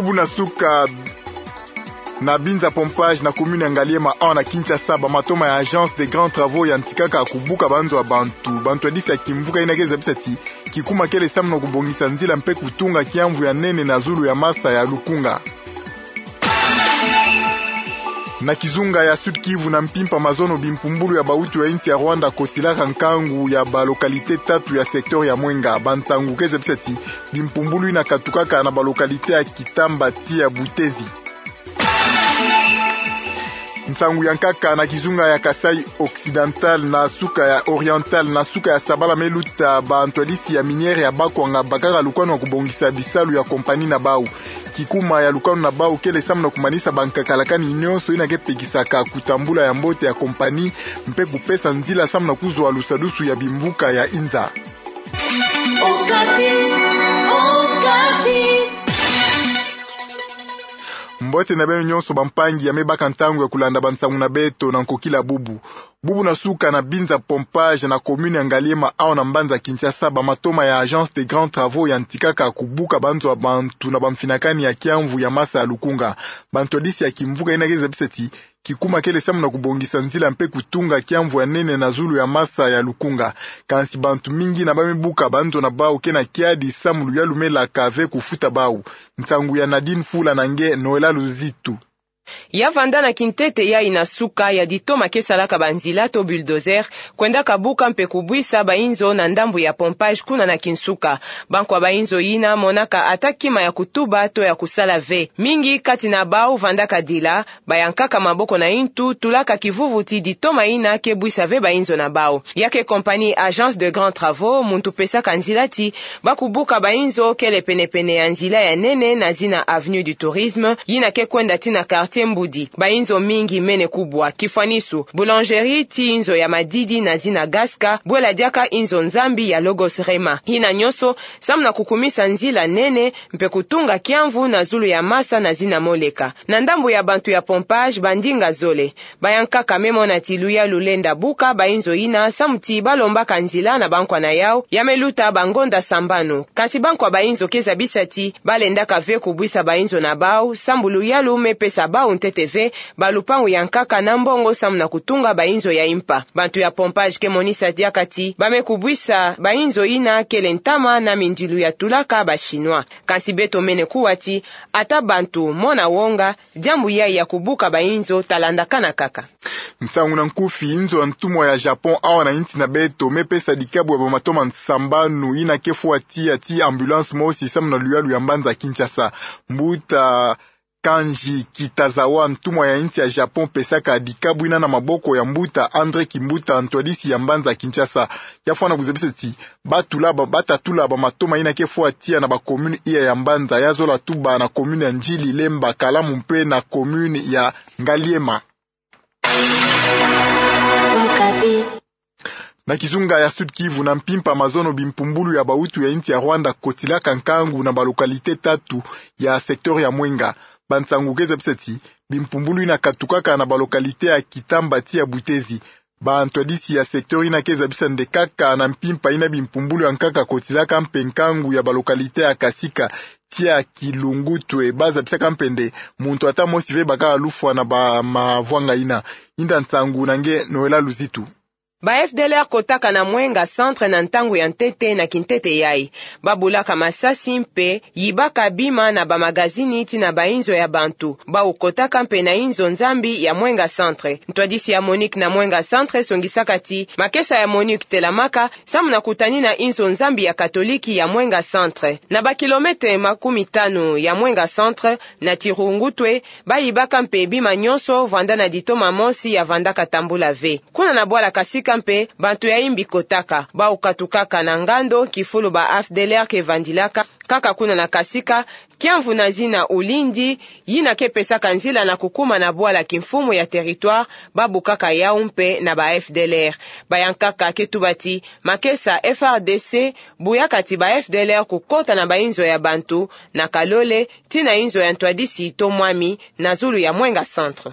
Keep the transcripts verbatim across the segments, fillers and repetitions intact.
Bubu na suka na Binza Pompage na commune ya Ngaliema awa na Kinshasa, bamatoma ya Agence des Grands Travaux yantikaka kubuka banzo ya bantu. Bantwadisi ya kimvuka ina ke zabisa ti kikuma kele samu na kubongisa nzila mpe kutunga kiamvu ya nene na zulu ya masa ya Lukunga. Na kizunga ya Sud-Kivu, na mpimpa mazono bimpumbulu ya bautu ya insi ya Rwanda kotilaka nkangu ya balocalité tatu ya secteur ya Mwenga. Bansangu ke zabisa ti bimpumbulu ina katukaka na balocalité ya Kitamba tii ya Butezi. Nsangu ya nkaka na kizunga ya Kasaï Occidental na suka ya Oriental, na suka ya sabala me luta, bantwadisi ya minière ya Bakwanga bakaka lukanu ya kubongisa bisalu ya compagnie na bau. Kikuma ya lukanu na bau kele samu na kumanisa bankakalakani nyonso ina ke pekisaka kutambula ya mbote ya compagnie mpe kupesa nzila samu na kuzwa lusadusu ya bimvuka ya inza. Okapi, Okapi. Mbote na beno nyonso bampangi ya me baka ntangu ya kulanda bansangu na beto na nkokila bubu. Bubu na suka na Binza Pompage na commune ya Ngaliema awa na mbanza Kinshasa, bamatoma ya Agence des Grands Travaux yantikaka kubuka banzo ya bantu na bamfinakani ya kiamvu ya masa ya Lukunga. Bantwadisi ya kimvuka ina ke zabisa ti kikuma kele samu na kubongisa nzila mpe kutunga kiamvu ya nene na zulu ya masa ya Lukunga. Kansi bantu mingi ina ba me buka banzo na bau ke na kiadi samu luyalu me laka ve kufuta bau. Nsangu ya Nadine Fula na nge Noëlla Luzitu. Ya vanda na kintete yayi na suka ya ditoma ke salaka banzila to bulldozer, kwendaka buka mpe kubwisa bainzo na ndambu ya Pompage kuna na Kinsuka. Bankwa bainzo ina monaka ata kima ya kutuba to ya kusala ve. Mingi kati na bau vandaka dila, bayankaka maboko na intu, tulaka kivuvu ti ditoma ina ke bwisa ve bainzo na bau. Ya ke compagnie Agence des Grands Travaux, muntu pesaka nzila ti ba kubuka bainzo kele penepene ya nzila ya nene na zina Avenue du Tourisme, yina ke kwenda tii na quartier Mbudi. Bainzo mingi mene kubwa, kifwanisu, boulangerie tii inzo ya madidi na zina Gasca, bwela diaka inzo Nzambi ya Logos Rema. Yina nyonso samu na kukumisa nzila nene, mpe kutunga kiamvu na zulu ya masa na zina Moleka. Na ndambu ya bantu ya Pompage, bandinga zole bayankaka me mona ti luyalu lenda buka bainzo ina samu ti ba lombaka nzila na bankwa na yau, ya me luta bangonda sambanu. Kansi bankwa bainzo ke zabisa ti ba lendaka ve kubwisa bainzo na bau, sambu luyalu me pesa bau ntete ve, balupangu yankaka na mbongo samu na kutunga bainzo ya impa. Bantu ya Pompage ke monisa diaka ti ba me kubwisa bainzo ina kele ntama na mindilu ya tulaka ba Chinois. Kansi beto mene kuwa ti ata bantu mona wonga, diambu yayi ya kubuka bainzo ta landakana kaka. Nsangu na nkufi, inzo ya ntumwa ya Japon awa na insi na beto me pesa dikabu ya bamatoma sambanu ina ke fwa tiya ti ambulance mosi samu na luyalu ya mbanza Kinshasa. Mbuta Kanji Kitazawa, ntumwa ya insi ya Japon, pesaka dikabu ina na maboko ya mbuta André Kimbuta, ntwadisi ya mbanza Kinshasa. Ya fwana kuzabisa ti ba tula ba, ba ta tula bamatoma ina ke fwa tiya na ba commune iya ya mbanza, ya zola tuba na commune ya Ndjili, Lemba, Kalamu mpe na commune ya Ngaliema. Na kizunga ya Sud-Kivu, na mpimpa mazono bimpumbulu ya bautu ya insi ya Rwanda kotilaka nkangu na balocalité tatu ya secteur ya Mwenga. Bansangu ke zabisa ti bimpumbulu ina katukaka na balocalité ya Kitamba tiya Butezi. Bantwadisi ya secteur ina ke zabisa nde kaka na mpimpa ina bimpumbulu ya nkaka kotilaka mpe nkangu ya balocalité ya Kasika tiya Kilungutwe, ba zabisaka mpe nde muntu ata mosi ve baka lufwa na bamavwanga ina. Inda nsangu na nge Noëlla Luzitu. Ba F D L R kotaka na Mwenga Centre na ntangu ya ntete na kintete yayi. Ba bulaka masasi mpe yibaka bima na bamagazini tii na bainzo ya bantu. Bau kotaka mpe na inzo Nzambi ya Mwenga Centre. Ntwadisi ya MONUC na Mwenga Centre songisaka ti makesa ya MONUC telamaka samu na kutanina inzo Nzambi ya Katoliki ya Mwenga Centre. Na ba kilomètre makumi tanu ya Mwenga Centre, na Kilungutwe, ba yibaka mpe bima nyonso vwanda na ditoma mosi ya vandaka tambula ve. Kuna na bwala Kasika mpe, bantu ya imbi kotaka, bau katukaka na ngando kifulu ba F D L R ke vandilaka. Kaka kuna na Kasika, kiamvu na zina Ulindi, yina ke pesaka nzila na kukuma na bwala kimfumu ya territoire, ba bukaka yau mpe na ba F D L R. Bayankaka ke tuba ti makesa F R D C buyaka ti ba F D L R kukota na bainzo ya bantu, na Kalole, tii na inzo ya ntwadisi to mwami, na zulu ya Mwenga Centre.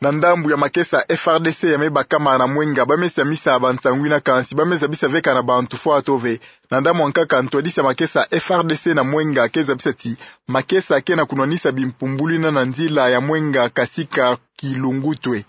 Na ndambu ya makesa F R D C ya mebakama na mwenga, ba mesiamisa bansangu ina, kansi ba mezabisa veka na bantu fwa to ve. Na ndambu ya nkaka, ntwadisi ya makesa F R D C na mwenga ke zabisa ti makesa ke na kunwanisa bimpumbulu ina na nzila ya mwenga kasika kilungutwe.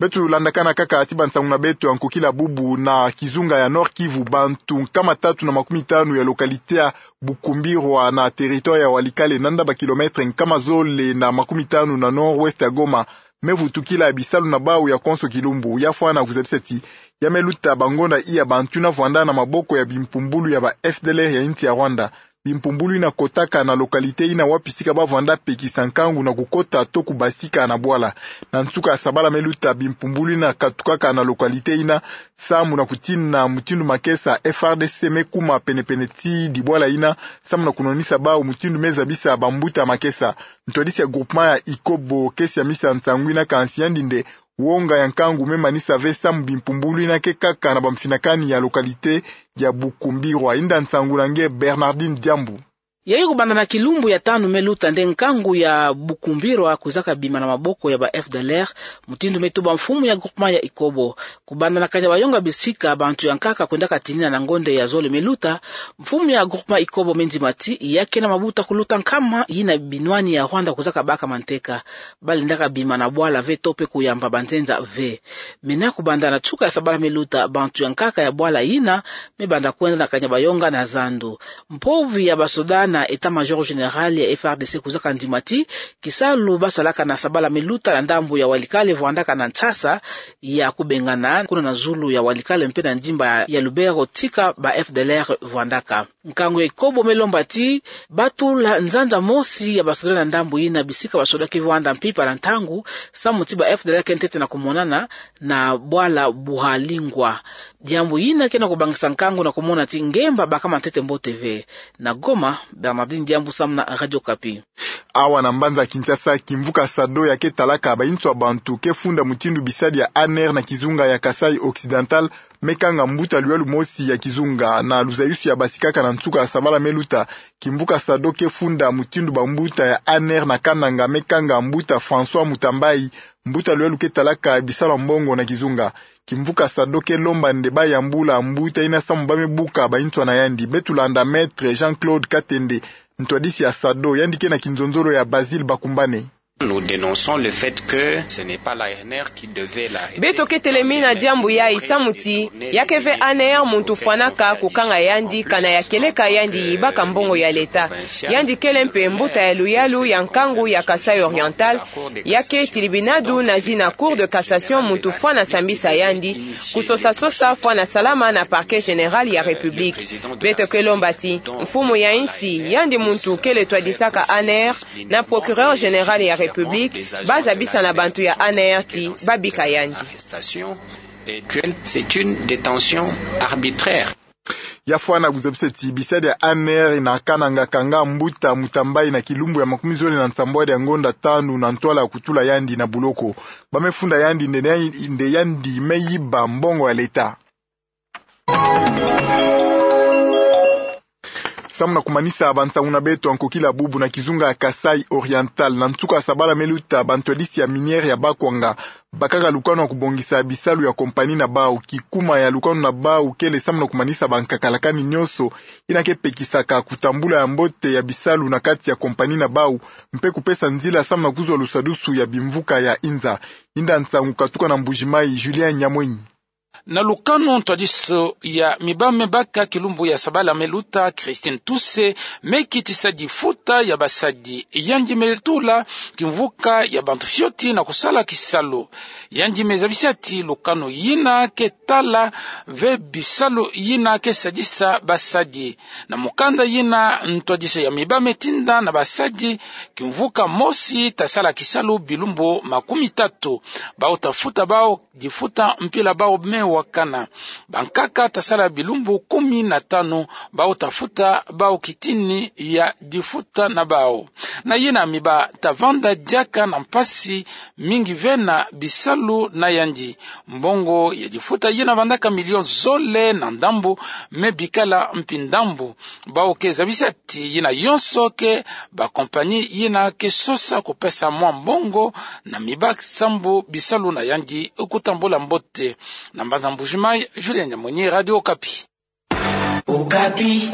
Beto landakana kaka ti bansangu na beto ya nkokila bubu na kizunga ya Nord-Kivu. Bantu nkama tatu na makumi tanu ya localité ya Bukumbirwa na territoire ya Walikale, nanda ba kilomètre nkama zole na makumi tanu na nord-ouest ya Goma, mevutukila bisalu na bau ya konso kilumbu. Ya fwana kuzabisa ti ya meluta bangonda iya bantu ina vwanda na maboko ya bimpumbulu ya ba F D L R ya insi ya Rwanda. Bimpumbulu ina kotaka na localité ina wapi sika ba vwanda pekisa nkangu na kukota to kubasika na bwala. Na nsuka ya sabala meluta, bimpumbulu ina katukaka na localité ina, samu na kutina mutindu makesa F R D C mekuma penepene ti dibwala ina, samu na kunwanisa bau mutindu mezabisa bambuta makesa. Ntwadisi ya groupement ya Ikobo ke siamisa nsangu ina, kansi yandi nde wonga ya nkangu memanisa ve samu bimpumbulu ina ke kaka na bamfinakani ya localité ya Bukumbirwa. Inda nsangu na nge Bernardine Diambu. Yayi kubanda na kilumbu ya tanu meluta nde nkangu ya Bukumbirwa kuzaka bima na maboko ya ba F D L R, mutindu metuba mfumu ya groupement ya Ikobo. Kubanda na kanya bayonga bisika bantu ya nkaka kwendaka tinina na ngonda ya zole meluta, mfumu ya groupement Ikobo mendima ti ya ke na mabuta kuluta nkama yina binwani ya Rwanda kuzaka baka manteka. Balendaka bima na bwala ve to pe kuyamba banzenza ve. Mena kubanda na nsuka ya sabala meluta, bantu ya nkaka ya bwala yina mebanda kwenda na kanya bayonga na zandu. Mpovi ya basoda na état-major général ya F R D C kuzaka ndima ti kisalu basalaka na sabala meluta na ndambu ya Walikale vwandaka na nsasa ya kubengana kuna na zulu ya Walikale mpe na ndimba ya Lubero tika ba F D L R vwandaka. Nkangu ya Ikobo melomba ti batula nzanza mosi ya basoda na ndambu yina bisika basoda ke vwanda mpimpa na ntangu, samu ti ba F D L R ke ntete na kumonana na bwala Buhalingwa. Diambu yina ke na kubangisa nkangu na kumona ti ngemba bakama ntete mbote ve. Na Goma, Bernardine Diambu samu na Radio Okapi. Awa na mbanza Kinshasa, kimvuka SADO ya ke talaka bansoni ya bantu ke funda mutindu bisadi ya A N R na kizunga ya Kasaï Occidental mekanga mbuta luyalu mosi ya kizunga. Na luzayusu ya basikaka na nsuka ya sabala meluta, kimvuka SADO ke funda mutindu bambuta ya A N R na Kananga mekanga mbuta François Mutambai, mbuta luyalu ke talaka bisalu ya mbongo na kizunga. Kimvuka SADO ke lomba nde bayambula mbuta yina samu ba mebuka bansoni ya yandi. Beto landa Maître Jean-Claude Katende, ntwadisi ya SADO, yandi ke na kinzonzolo ya Basile Bakumbane. Nous dénonçons le fait que ce n'est pas l'A N R qui devait l'arrêter. Beto ke telemina diambu yayi samu ti ya ke ve A N R muntu fwanaka kukanga yandi kana ya kieleka yandi yibaka mbongo ya leta. Yandi kele mpe mbuta ya luyalu ya nkangu ya Kasaï Oriental, ya ke tilibinadu na zina Cour de cassation muntu fwana sambisa yandi, kusosa-sosa fwana salama na Parquet général ya République. Beto ke lomba ti mfumu ya insi, yandi muntu kele twadisaka A N R, na Procureur général ya République, bazabisa na bantu ya A N R ti babika yandi. Arrestation et que c'est une détention arbitraire. Ya fwana kuzabisa ti bisadi ya A N R na Kananga kanga mbuta Mutambai na kilumbu ya makumi zole na nsambwadi ya ngonda tanu na ntwala ya kutula yandi na buloko. Ba mefunda yandi nde, nde yandi meyiba mbongo ya leta. Samu na kumanisa bansangu na beto ya nkokila bubu, na kizunga ya Kasaï Oriental, na nsuka ya sabala meluta, bantwadisi ya minière ya Bakwanga bakaka lukanu ya kubongisa bisalu ya compagnie na bau. Kikuma ya lukanu na bau kele samu na kumanisa bankakalakani nyonso yina ke pekisaka kutambula ya mbote ya bisalu na kati ya compagnie na bau, mpe kupesa nzila samu na kuzwa lusadusu ya bimvuka ya inza. Inda nsangu katuka na Mbuji-Mayi, Julien Nyamwenyi. Na lukanu, ntwadisu ya mibame baka kilumbu ya sabala meluta, Christine Tuse, mekitisa difuta ya basadi. Yandi metula kimvuka ya bantu fioti na kusala kisalu. Yandi mezabisa ti lukanu yina ke tala ve bisalu yina ke sadisa basadi. Na mukanda yina, ntwadisu ya mibame metinda na basadi kimvuka mosi ta sala kisalu bilumbu makumi tatu. Bau ta futa bau difuta mpila bau mewa Kana bankaka tasala bilumbu kumi na tanu, bau tafuta bau kitini ya difuta na bau. Na yina miba tavanda diaka na mpasi mingi ve na bisalu na yandi. Mbongo ya difuta yina vandaka milion zole na ndambu, me bikala mpi ndambu. Bau ke zabisa ti yina yonso ke bakompani yina ke sosa kupesa mwa mbongo na miba sambu bisalu na yandi kutambula mbote. Na mbanza Mbujimayi, Julien Nyamwenyi, Radio Okapi. Okapi.